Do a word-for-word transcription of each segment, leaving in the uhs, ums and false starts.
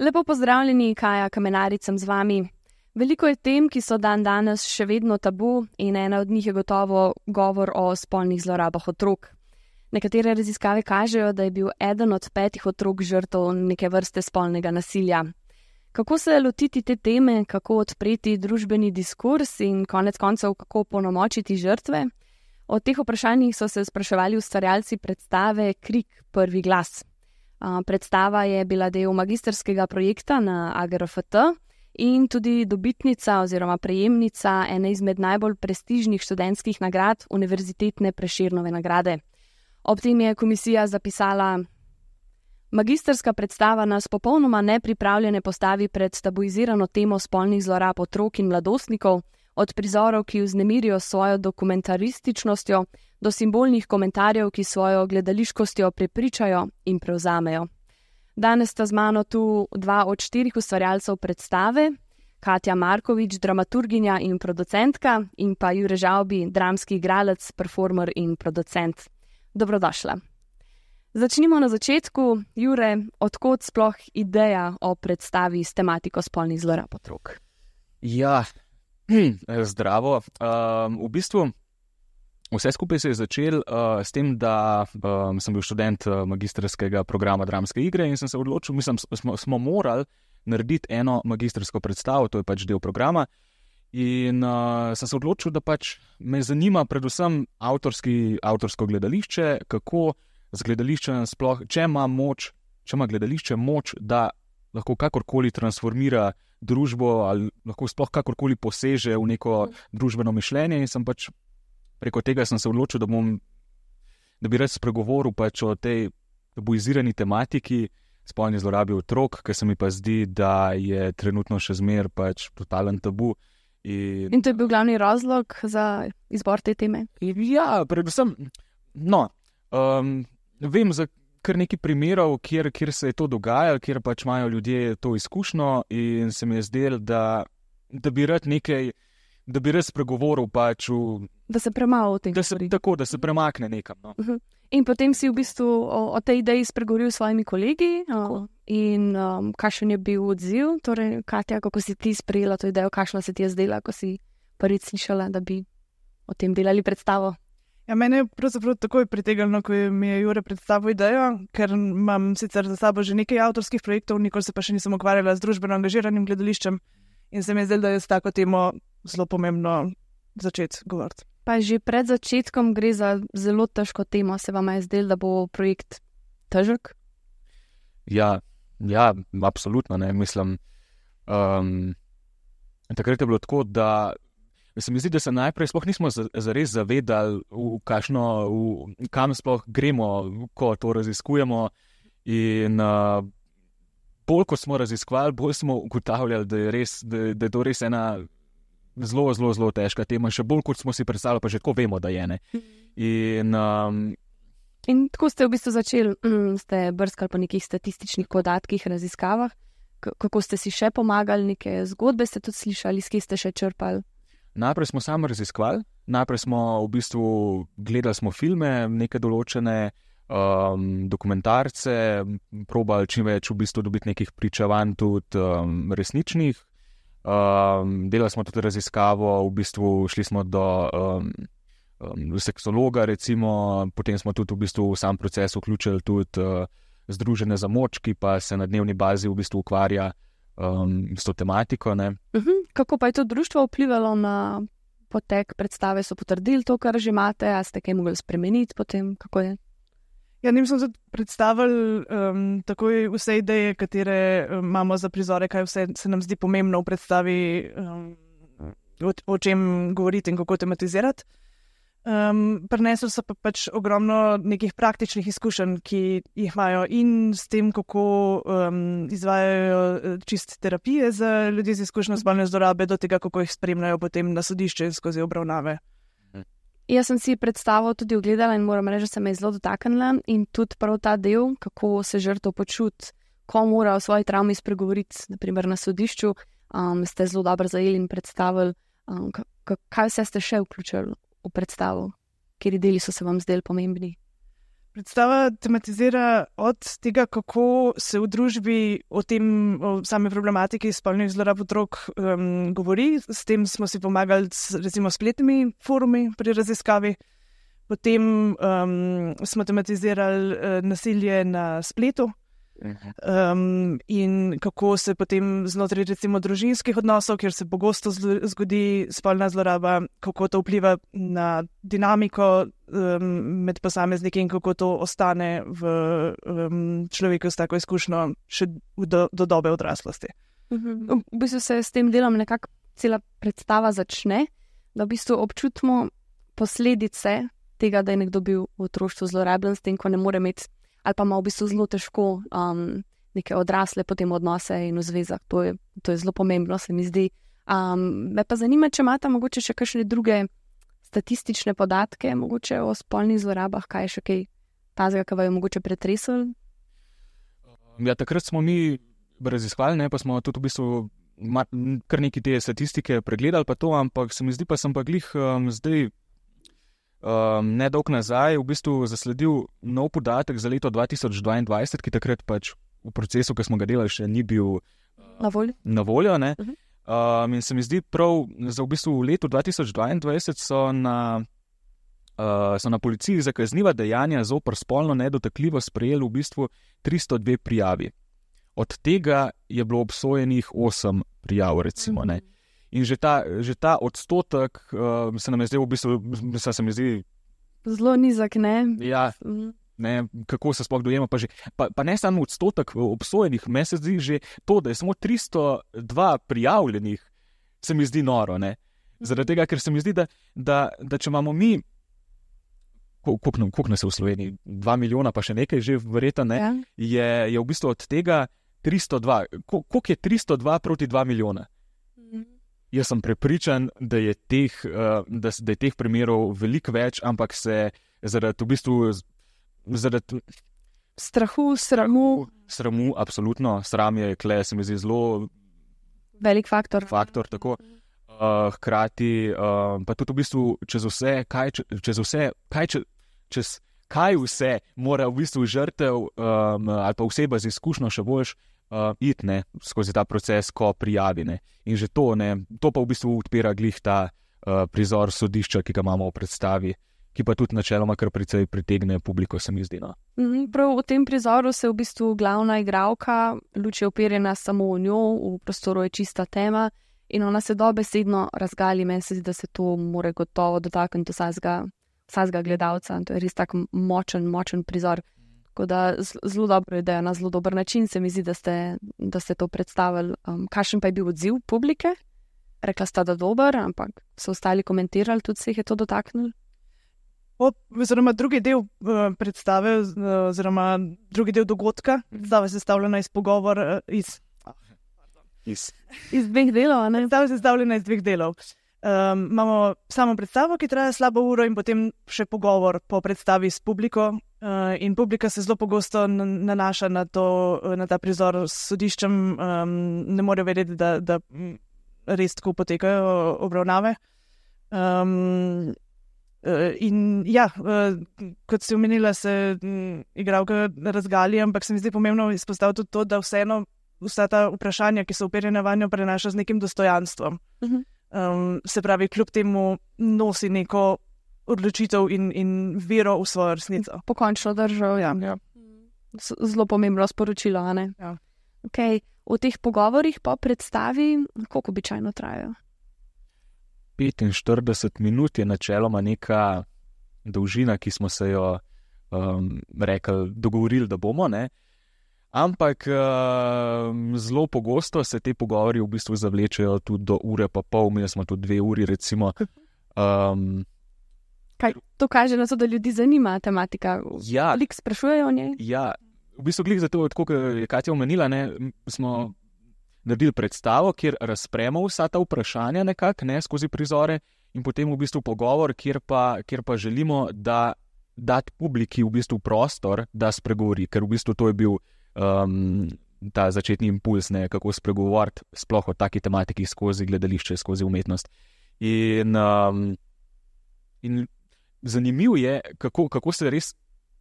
Lepo pozdravljeni, Kaja Kamenarič sem z vami. Veliko je tem, ki so dan danes še vedno tabu in ena od njih je gotovo govor o spolnih zlorabah otrok. Nekatere raziskave kažejo, da je bil eden od petih otrok žrtev neke vrste spolnega nasilja. Kako se lotiti te teme, kako odpreti družbeni diskurs in konec koncev kako opolnomočiti žrtve? O teh vprašanjih so se spraševali ustvarjalci predstave Krik, prvi glas. Predstava je bila del magistrskega projekta na A G R F T in tudi dobitnica oziroma prejemnica ene izmed najbolj prestižnih študentskih nagrad Univerzitetne Prešernove nagrade. Ob tem je komisija zapisala: magistrska predstava nas popolnoma nepripravljene postavi pred tabuizirano temo spolnih zlorab otrok in mladostnikov, od prizorov, ki vznemirijo svojo dokumentarističnostjo, do simbolnih komentarjev, ki svojo gledališkostjo prepričajo in prevzamejo. Danes sta z mano tu dva od štirih ustvarjalcev predstave, Katja Markovič, dramaturginja in producentka, in pa Jure Žavbi, dramski igralec, performer in producent. Dobrodošla. Začnimo na začetku. Jure, odkot sploh ideja o predstavi s tematiko spolnih zlorab otrok? Ja, zdravo. Um, v bistvu vse skupaj se je začel uh, s tem, da um, sem bil študent uh, magistrskega programa dramske igre in sem se odločil, mislim, smo, smo morali narediti eno magistrsko predstavo, to je pač del programa. In uh, sem se odločil, da pač me zanima predvsem avtorski, avtorsko gledališče, kako z gledališčem sploh, če ima moč, če ima gledališče moč, da lahko kakorkoli transformira družbo ali lahko sploh kakorkoli poseže v neko družbeno mišljenje, in sem pač preko tega sem se odločil, da bom, da bi rad spregovoril pač o tej tabuizirani tematiki spolni zlorabi otrok, ker se mi pa zdi, da je trenutno še zmer pač totalen tabu. In, in to je bil glavni razlog za izbor te teme? Ja, predvsem, no, um, vem za kar nekaj primerov, kjer, kjer se je to dogajalo, kjer pač imajo ljudje to izkušnjo, in se mi je zdelo, da, da bi rad nekaj, da bi res pregovoril pač v... Da se premalo o tem govori. Tako, da se premakne nekam. No. Uh-huh. In potem si v bistvu o, o tej ideji spregovoril s svojimi kolegi o, in um, kakšen je bil odziv? Torej, Katja, kako si ti sprejela to idejo, kakšna se ti je zdela, ko si prvič slišala, da bi o tem delali predstavo? Ja, mene je pravzaprav takoj pritegnilo, ko mi je Jure predstavil idejo, ker imam sicer za sabo že nekaj avtorskih projektov, nikoli se pa še nisem ukvarjala z družbeno angažiranim gledališčem, in se mi je zdelo, da je s tako temo zelo pomembno začeti govoriti. Pa že pred začetkom gre za zelo težko temo, se vam je zdelo, da bo projekt težek? Ja, ja, absolutno ne, mislim. Um, takrat je bilo tako, da se mi zdi, da se najprej sploh nismo zares zavedali, v kakšno, v, kam sploh gremo, ko to raziskujemo, in uh, bolj ko smo raziskovali, bolj smo ugotavljali, da je res, da, da je to res ena zelo, zelo, zelo težka tema, še bolj kot smo si predstavljali, pa že tako vemo, da je ne. In, um, in tako ste v bistvu začeli, um, ste brskali po nekih statističnih podatkih, raziskavah, K- kako ste si še pomagali, neke zgodbe ste tudi slišali, s kje ste še črpali? Najprej smo sami raziskovali, najprej smo v bistvu gledali smo filme, neke določene um, dokumentarce, probali čim več v bistvu dobiti nekih pričevanj tudi um, resničnih. Um, delali smo tudi raziskavo, v bistvu šli smo do um, um, seksologa recimo, potem smo tudi v bistvu v sam proces vključili tudi uh, Združenje za moč, ki pa se na dnevni bazi v bistvu ukvarja um, s to tematiko. Ne. Uh-huh. Kako pa je to društvo vplivalo na potek predstave? So potrdili to, kar že imate, a ste kaj mogli spremeniti potem? Kako je? Ja, njim smo tudi predstavili um, takoj vse ideje, katere um, imamo za prizore, kaj vse se nam zdi pomembno v predstavi, um, o, o čem govoriti in kako tematizirati. Um, prinesli so pa pač ogromno nekih praktičnih izkušenj, ki jih imajo in s tem, kako um, izvajajo čist terapije za ljudi z izkušnjo spolne zlorabe, do tega, kako jih spremljajo potem na sodišče skozi obravnave. Jaz sem si predstavo tudi ogledala in moram reči, da se me je zelo dotaknila in tudi prav ta del, kako se žrtev počuti, ko mora o svoji travmi spregovoriti, naprimer na sodišču, um, ste zelo dobro zajeli in predstavili, um, k- k- kaj vse ste še vključili v predstavo. kateri deli so se vam zdeli pomembni? Predstava tematizira od tega, kako se v družbi o tem, o sami problematiki spolnih zlorab otrok um, govori. S tem smo si pomagali s recimo spletnimi forumi pri raziskavi. Potem um, smo tematizirali uh, nasilje na spletu um, in kako se potem znotraj recimo družinskih odnosov, kjer se pogosto zgodi spolna zloraba, kako to vpliva na dinamiko um, med posamezniki in kako to ostane v um, človeku s tako izkušnjo še do, do dobe odraslosti. V bistvu se s tem delom nekako cela predstava začne, da v bistvu občutimo posledice tega, da je nekdo bil v otroštvu zlorabljen, s tem, ko ne more imeti, ali pa ima v bistvu zelo težko um, neke odrasle potem odnose in v zvezah. To je, to je zelo pomembno, se mi zdi. Um, me pa zanima, če imate mogoče še kakšne druge statistične podatke, mogoče o spolnih zlorabah, kaj je še kaj tazga, ki vam je mogoče pretresel? Ja, takrat smo mi raziskovali, ne, pa smo tudi v bistvu kar neki te statistike pregledali pa to, ampak se mi zdi, pa sem pa glih um, zdaj Um, nedolg nazaj v bistvu zasledil nov podatek za leto dva tisoč dvaindvajset, ki takrat pač v procesu, ki smo ga delali, še ni bil uh, na voljo. Na voljo ne? Uh-huh. um, in se mi zdi prav, za v bistvu v letu dva tisoč dvaindvajset so na, uh, so na policiji za kazniva dejanja zoper spolno nedotakljivost sprejeli v bistvu tristo dve prijavi. Od tega je bilo obsojenih osem prijav, recimo, uh-huh. ne. In že ta, že ta odstotek uh, se nam je zdaj v bistvu, se mi zdi... Zelo nizak, ne? Ja, ne, kako se sploh dojema, pa, že, pa, pa ne samo odstotek obsojenih, meni se zdi že to, da je samo tristo dva prijavljenih, se mi zdi noro, ne? Zaradi tega, ker se mi zdi, da, da, da če imamo mi, koliko nas je v Sloveniji, dva milijona pa še nekaj že verjetno, ne, ja. je, je v bistvu od tega tristo dva, koliko je tristo dva proti dva milijona? Jaz sem prepričan, da je teh, da, da je teh primerov veliko več, ampak se zaradi v bistvu zaradi strahu, sramu. Sramu, absolutno. Sram je, kle, se mi zdi zelo velik faktor. Faktor, tako. Uh, hkrati, uh, pa tudi v bistvu čez vse, kaj, čez vse, kaj, čez, čez kaj vse mora v bistvu žrtev um, ali pa oseba z izkušnjo še boljš Uh, iti ne, skozi ta proces, ko prijavi. Ne. In že to, ne, to pa v bistvu odpira glih ta uh, prizor sodišča, ki ga imamo v predstavi, ki pa tudi načeloma kar precej pritegne publiko, se mi zdi. No. Mm, prav v tem prizoru se v bistvu glavna igralka, luč je uperjena samo v njo, v prostoru je čista tema in ona se dobesedno razgali. Meni se zdi, da se to more gotovo dotakniti vsakega, vsakega gledalca. To je res tak močen, močen prizor. Tako da zelo dobro je, da je na zelo dober način, se mi zdi, da ste, da ste to predstavili. Um, kakšen pa je bil odziv publike? Rekla sta, da dober, ampak so ostali komentirali, tudi se jih je to dotaknilo? Oziroma drugi del uh, predstave, oziroma drugi del dogodka, predstava je sestavljena iz pogovor, uh, iz, iz... iz dveh delov, ne? Predstava je sestavljena iz dveh delov. Um, imamo samo predstavo, ki traja slabo uro in potem še pogovor po predstavi s publiko. Uh, in publika se zelo pogosto nanaša na, to, na ta prizor s sodiščem, um, ne morejo vedeti, da, da res tako potekajo obravnave. Um, uh, in ja, uh, kot si omenila, se um, igralka razgali, ampak se mi zdi pomembno izpostaviti tudi to, da vseeno vsa ta vprašanja, ki so uperjena vanjo, prenaša z nekim dostojanstvom. Uh-huh. Um, se pravi, kljub temu nosi neko odločitev in, in vero v svojo resnico. Pokončno držal, ja. ja. Zelo pomembno sporočilo, a ne? Ja. Okay. V teh pogovorih po predstavi, koliko običajno trajajo? petinštirideset minut je načeloma neka dolžina, ki smo se jo um, rekli, dogovorili, da bomo, ne? Ampak um, zelo pogosto se te pogovori v bistvu zavlečejo tudi do ure pa pol, mi smo tudi dve uri, recimo. Um, Kaj to kaže na to, da ljudi zanima tematika? Ja. Lik sprašujejo o njej? Ja, v bistvu glih zato, tako kot je Katja omenila, ne, smo naredili predstavo, kjer razpremo vsa ta vprašanja nekako, ne, skozi prizore in potem v bistvu pogovor, kjer pa, kjer pa želimo, da dati publiki v bistvu prostor, da spregovori, ker v bistvu to je bil um, ta začetni impuls, ne, kako spregovoriti sploh o taki tematiki skozi gledališče, skozi umetnost. In, um, in zanimivo je, kako, kako se res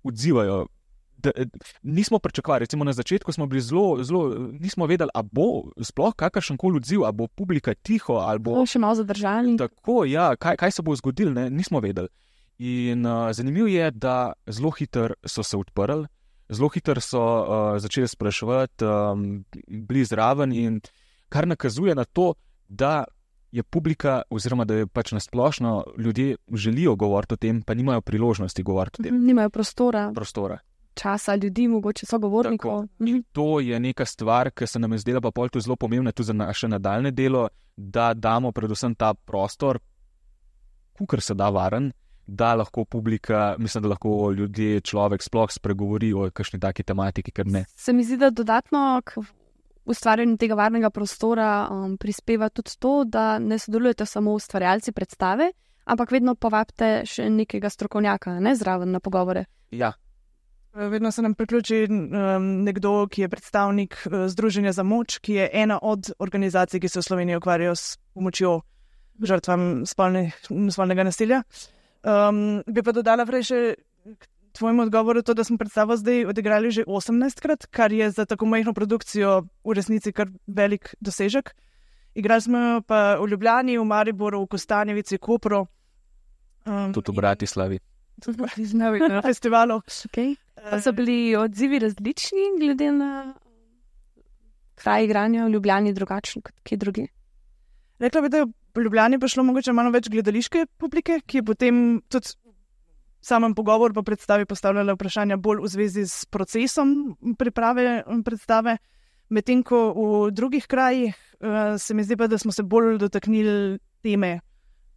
odzivajo. Da, nismo pričakovali, recimo na začetku smo bili zelo, zelo, nismo vedeli, a bo sploh kakršen koli odziv, a bo publika tiho, ali bo... Še malo zadržali. Tako, ja, kaj, kaj se bo zgodilo, ne, nismo vedeli. In uh, zanimivo je, da zelo hitro so se odprli, zelo hitro so uh, začeli spraševati, um, bili zraven in kar nakazuje na to, da je publika, oziroma da je pač nasplošno ljudje želijo govoriti o tem, pa nimajo priložnosti govoriti o tem. Nimajo prostora. Prostora. Časa ljudi, mogoče sogovornikov. To je neka stvar, ki se nam je zdela pa pol to zelo pomembna tudi za naše nadaljne delo, da damo predvsem ta prostor, kakor se da varen, da lahko publika, mislim, da lahko ljudje, človek sploh spregovori o kakšni taki tematiki, ker ne. Se mi zdi, da dodatno k ustvarjanju tega varnega prostora um, prispeva tudi to, da ne sodelujete samo ustvarjalci predstave, ampak vedno povabite še nekega strokovnjaka, ne zraven na pogovore. Ja. Vedno se nam priključi um, nekdo, ki je predstavnik uh, Združenja za moč, ki je ena od organizacij, ki se v Sloveniji ukvarjajo s pomočjo žrtvam spolne, spolnega nasilja. Um, bi pa dodala prej še k tvojemu odgovoru to, da smo predstavo zdaj odigrali že osemnajstkrat, kar je za tako majhno produkcijo v resnici kar velik dosežek. Igrali smo pa v Ljubljani, v Mariboru, v Kostanjevici, Kopru. Um, tudi v Bratislavi. Tudi v Bratislavi na festivalu. Okay. Pa so bili odzivi različni glede na kraj igranja v Ljubljani drugačni kot kje drugi? Rekla bi, da je v Ljubljani prišlo mogoče malo več gledališke publike, ki je potem tudi samem pogovor pa predstavi postavljala vprašanja bolj v zvezi s procesom priprave predstave, medtem ko v drugih krajih uh, se mi zdi pa, da smo se bolj dotaknili teme,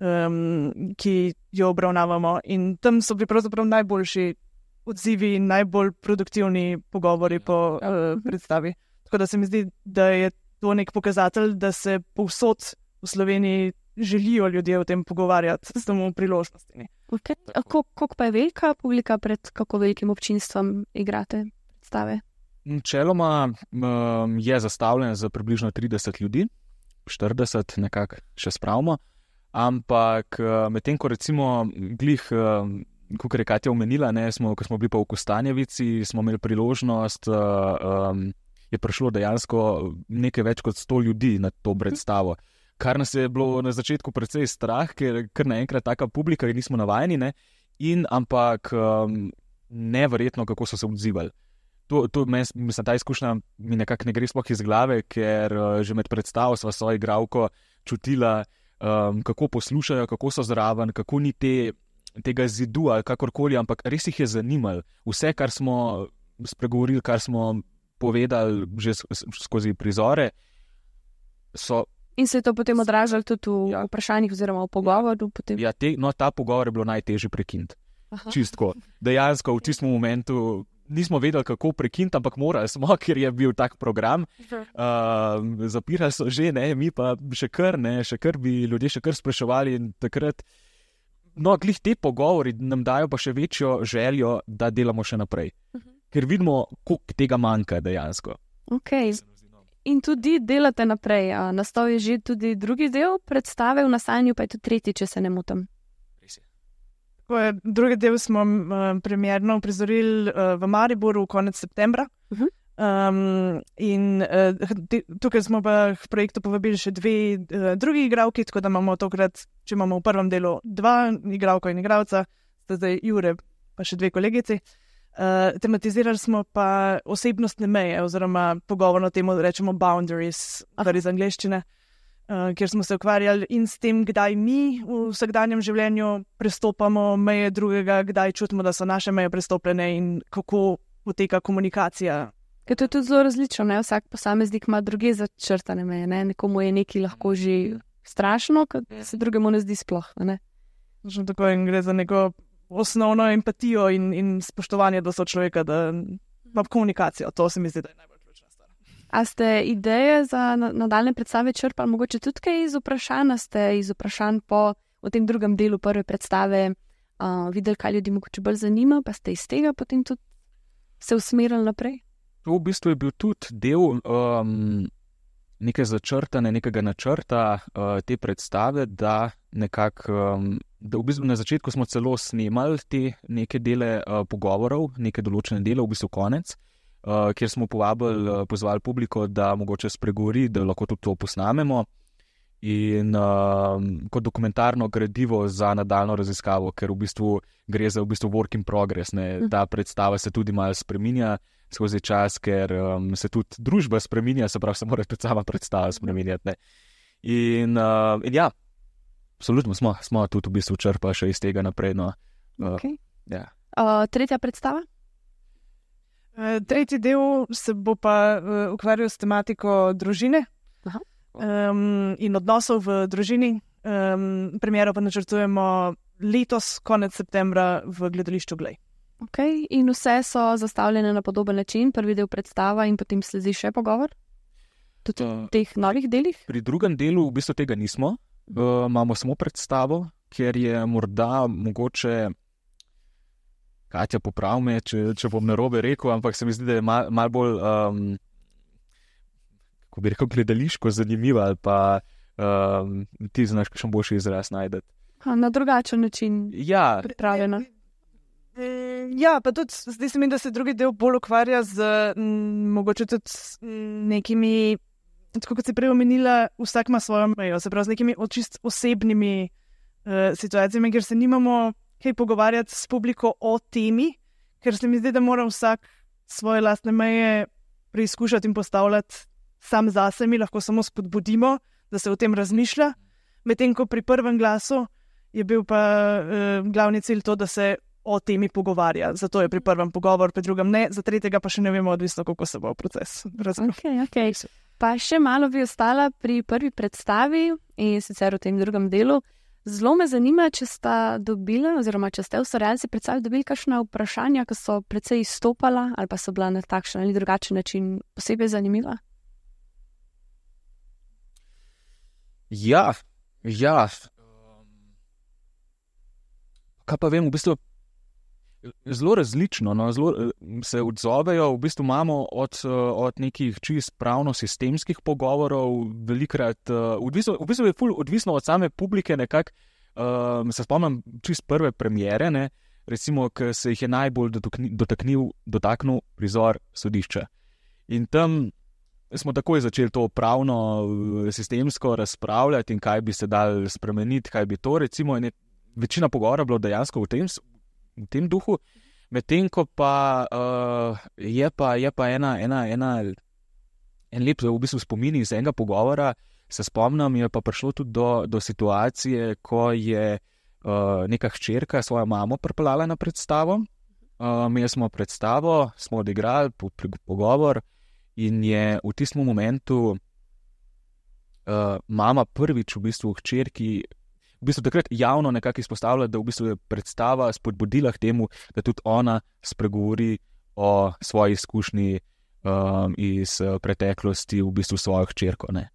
um, ki jo obravnavamo, in tam so bili pravzaprav najboljši odzivi in najbolj produktivni pogovori po uh, predstavi. Tako da se mi zdi, da je to nek pokazatelj, da se povsod v Sloveniji želijo ljudje o tem pogovarjati s temu priložnostmi. Okay. Koliko pa je velika publika, pred kako velikim občinstvom igrate predstave? Načeloma um, je zastavljen za približno trideset ljudi, štirideset nekako še spravimo, ampak uh, medtem, ko recimo glih, uh, kot je Katja omenila, ne, smo, ko smo bili pa v Kostanjevici, smo imeli priložnost, uh, um, je prišlo dejansko nekaj več kot sto ljudi na to predstavo. Kar nas je bilo na začetku precej strah, ker kar naenkrat taka publika, ki nismo navajeni, ne, in ampak um, neverjetno, kako so se odzivali. To, to meni, mislim, ta izkušnja mi nekako ne gre sploh iz glave, ker uh, že med predstavo sva svojo igralko čutila, um, kako poslušajo, kako so zraven, kako ni te, tega zidu ali kakorkoli, ampak res jih je zanimalo. Vse, kar smo spregovorili, kar smo povedali že skozi prizore, so... In se je to potem odražalo tudi v ja. vprašanjih oziroma v pogovoru? Potem... Ja, te, no, ta pogovor je bilo najtežje prekiniti. Čistko. Dejansko v tistem momentu nismo vedeli, kako prekiniti, ampak morali smo, ker je bil tak program. Uh, zapirali so že, ne, mi pa še kar, ne, še kar bi ljudje še kar spraševali in takrat. No, glih te pogovori nam dajo pa še večjo željo, da delamo še naprej. Uh-huh. Ker vidimo, koliko tega manjka dejansko. Okay. In tudi delate naprej. Nastal je že tudi drugi del predstave, v nastajanju pa je tudi tretji, če se ne motim. Tako je, drugi del smo uh, premierno uprizorili uh, v Mariboru konec septembra. Uh-huh. Um, in uh, tukaj smo pa v projektu povabili še dve uh, drugi igralki, tako da imamo tokrat, če imamo v prvem delu dva igralko in igralca, sta zdaj Jure pa še dve kolegici. Uh, tematizirali smo pa osebnostne meje oziroma pogovorno temo rečemo boundaries, kar iz angleščine, uh, kjer smo se ukvarjali in s tem, kdaj mi v vsakdanjem življenju prestopamo meje drugega, kdaj čutimo, da so naše meje prestopljene in kako poteka komunikacija. Ker to je tudi zelo različno, ne? Vsak posameznik ima druge začrtane meje, ne? Nekomu je nekaj lahko že strašno, kad se drugemu ne zdi sploh, ne? Tako in gre za neko osnovno empatijo in, in spoštovanje do sočloveka, da ima komunikacijo. To se mi zdi, da je najbolj ključna stvar. A ste ideje za nadaljne predstave črpali mogoče tudi kaj iz vprašanj? A ste iz vprašanj po v tem drugem delu prve predstave uh, videli, kaj ljudi mogoče bolj zanima, pa ste iz tega potem tudi se usmerili naprej? To v bistvu je bil tudi del um, neke začrtane, nekega načrta uh, te predstave, da nekako um, da v bistvu na začetku smo celo snemali te neke dele uh, pogovorov, neke določene dele, v bistvu konec, uh, kjer smo povabili, uh, pozvali publiko, da mogoče spregovori, da lahko tudi to posnamemo. In uh, kot dokumentarno gradivo za nadaljno raziskavo, ker v bistvu gre za v bistvu work in progress. Ne? Ta predstava se tudi malo spreminja skozi čas, ker um, se tudi družba spreminja, se pravi, se mora tudi sama predstava spreminjati. Ne? In, uh, in ja, absolutno smo, smo tudi v bistvu črpali še iz tega naprej. No. Uh, Okay. ja. Uh, tretja predstava? Uh, tretji del se bo pa uh, ukvarjal s tematiko družine. Aha. Um, in odnosov v družini. Um, premiero pa načrtujemo letos, konec septembra, v gledališču Glej. Okay. In vse so zastavljene na podoben način, prvi del predstava in potem sledi še pogovor? Tudi v Uh, teh novih delih? Pri drugem delu v bistvu tega nismo. Uh, imamo samo predstavo, ker je morda mogoče, Katja, poprav me, če, če bom narobe rekel, ampak se mi zdi, da je malo mal bolj, um, kako bi rekel, gledališko zanimivo, ali pa um, ti znaš kakšen boljši izraz najdeti. Ha, na drugačen način Ja, pripravljena. Ja, pa tudi zdi se mi, da se drugi del bolj ukvarja z m, mogoče tudi s, m, nekimi, tako kot si prej omenila, vsak ima svojo mejo, se pravi z nekimi čist osebnimi uh, situacijami, ker se nimamo kaj pogovarjati s publiko o temi, ker se mi zdi, da mora vsak svoje lastne meje preizkušati in postavljati sam zase, mi lahko samo spodbudimo, da se o tem razmišlja, medtem ko pri prvem glasu je bil pa uh, glavni cilj to, da se o temi pogovarja. Zato je pri prvem pogovor, pri drugem ne, za tretjega pa še ne vemo, odvisno, kako se bo proces razvil. Okay, okay. Pa še malo bi ostala pri prvi predstavi in sicer v tem drugem delu. Zelo me zanima, če sta dobila, oziroma če ste ustvarjalci predstavili, dobili kakšna vprašanja, ki so precej izstopala ali pa so bila na takšen ali drugačen način posebej zanimiva. ja, ja. Kaj pa vem, v bistvu zelo različno, no, zelo se odzovejo, v bistvu imamo od, od nekih čist pravno-sistemskih pogovorov, velikrat, odvisno, v bistvu je ful odvisno od same publike, nekako, um, se spomnim čist prve premiere, ne, recimo, ki se jih je najbolj dotaknil, dotaknil prizor Sodišča. In tam smo takoj začeli to pravno-sistemsko razpravljati in kaj bi se dal spremeniti, kaj bi to, recimo, in je večina pogovora bilo dejansko v tem, v tem duhu, medtem ko pa, uh, je pa je pa ena, ena, ena en lep v bistvu spomin iz enega pogovora, se spomnim, je pa prišlo tudi do, do situacije, ko je uh, neka hčerka svojo mamo pripeljala na predstavo. Uh, mi smo predstavo, smo odigrali po, po, pogovor in je v tistem momentu uh, mama prvič v bistvu hčerki v bistvu takrat javno nekako izpostavlja, da v bistvu je predstava spodbudila k temu, da tudi ona spregovori o svoji izkušnji um, iz uh, preteklosti v bistvu svojo hčerko. Ne.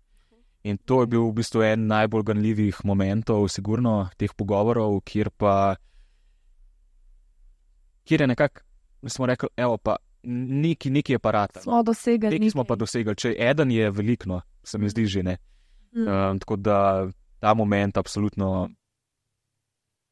In to je bil v bistvu en najbolj ganljivih momentov, sigurno, teh pogovorov, kjer pa kjer je nekako, smo rekli, evo pa, neki, neki je pa rata. Smo dosegli. Neki smo pa dosegli, če eden je veliko, se mi zdi že ne. Mm. Um, tako da ta moment absolutno.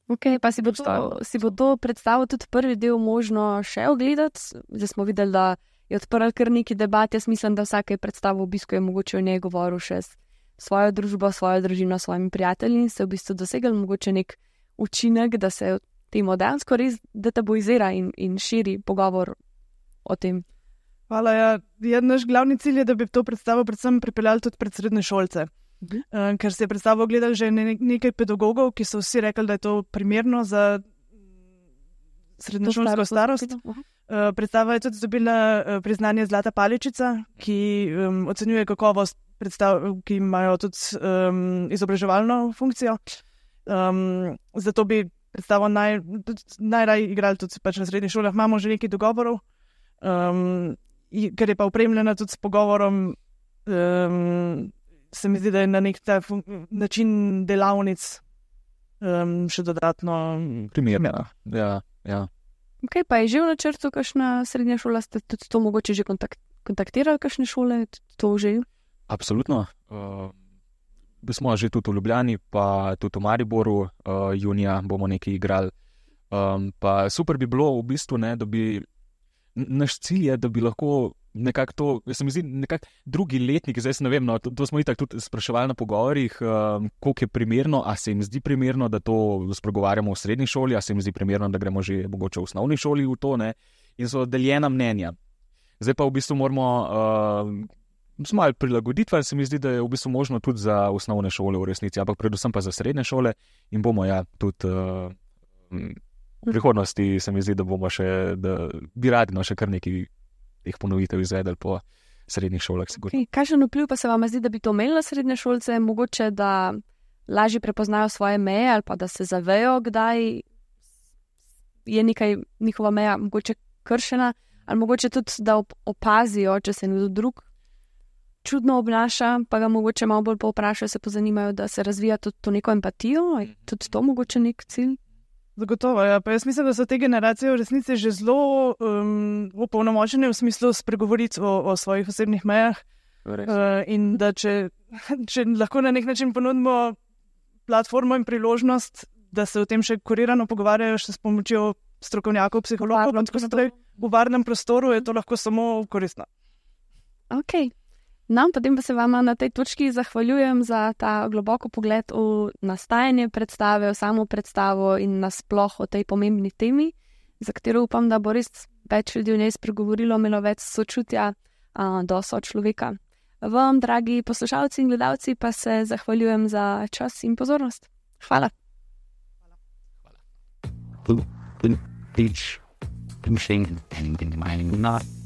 Ok, pa si bo, to, si bo to predstavo tudi prvi del možno še ogledati. Zdaj smo videli, da je odprl kar neki debat. Jaz mislim, da vsake predstavo obiskuje mogoče o njej govoril še s svojo družbo, svojo družino, svojimi prijatelji in se v bistvu dosegli mogoče nek učinek, da se temu dejansko res detabuizira in, in širi pogovor o tem. Hvala, ja. Ja, naš glavni cilj je, da bi to predstavo predvsem pripeljali tudi pred srednje šolce. Uh, ker se je predstavo gledali že ne, nekaj pedagogov, ki so vsi rekli, da je to primerno za srednješolsko starost. Uh, predstava je tudi dobila uh, priznanje Zlata paličica, ki um, ocenjuje kakovost predstav, ki imajo tudi um, izobraževalno funkcijo. Um, zato bi predstavo naj, najraj igrali tudi pač na srednjih šolah. Imamo že nekaj dogovorov, um, ker je pa opremljena tudi s pogovorom. Um, se mi zdi, da je na nek ta fun- način delavnic um, še dodatno Primerna. Ja, ja. Ok, pa je že v načrtu kakšna srednja šola, ste tudi to mogoče že kontakt, kontaktirali kakšne šole, to že? Absolutno. Uh, smo že tudi v Ljubljani, pa tudi v Mariboru, uh, junija bomo nekaj igrali. Um, pa super bi bilo v bistvu, ne, da bi, naš cilj je, da bi lahko nekako to, se mi zdi, nekako drugi letnik, zdaj se ne vem, no, to, to smo itak tudi spraševali na pogovorih, um, koliko je primerno, a se jim zdi primerno, da to spregovarjamo v srednji šoli, a se jim zdi primerno, da gremo že mogoče v osnovni šoli v to, ne, in so deljena mnenja. Zdaj pa v bistvu moramo uh, malo prilagoditve, se mi zdi, da je v bistvu možno tudi za osnovne šole v resnici, ampak predvsem pa za srednje šole in bomo ja tudi uh, v prihodnosti se mi zdi, da bomo še, da bi radi no še kar nekaj teh ponovitev izvedeli po srednjih šolah. Okay. Kakšen vpliv pa se vam zdi, da bi to imeli na srednje šolce, mogoče da lažje prepoznajo svoje meje ali pa da se zavejo, kdaj je nekaj njihova meja mogoče kršena, ali mogoče tudi, da opazijo, če se nekdo drug čudno obnaša, pa ga mogoče malo bolj povprašajo, se pozanimajo, da se razvija tudi to neko empatijo, je tudi to mogoče nek cilj? Zagotovo, ja. Pa jaz mislim, da so te generacije v resnici že zelo um, opolnomočene v smislu spregovoriti o, o svojih osebnih mejah. Uh, in da če, če lahko na nek način ponudimo platformo in priložnost, da se o tem še kurirano pogovarjajo še s pomočjo strokovnjakov, psihologov, tako naprej, v varnem prostoru je to lahko samo koristno. Ok. No, potem pa se vama na tej točki zahvaljujem za ta globoko pogled v nastajanje predstave, v samo predstavo in nasploh o tej pomembni temi, za katero upam, da bo res več ljudi v njej spregovorilo, imelo več sočutja a, do sočloveka. Vam, dragi poslušalci in gledalci, pa se zahvaljujem za čas in pozornost. Hvala. Each thing in my not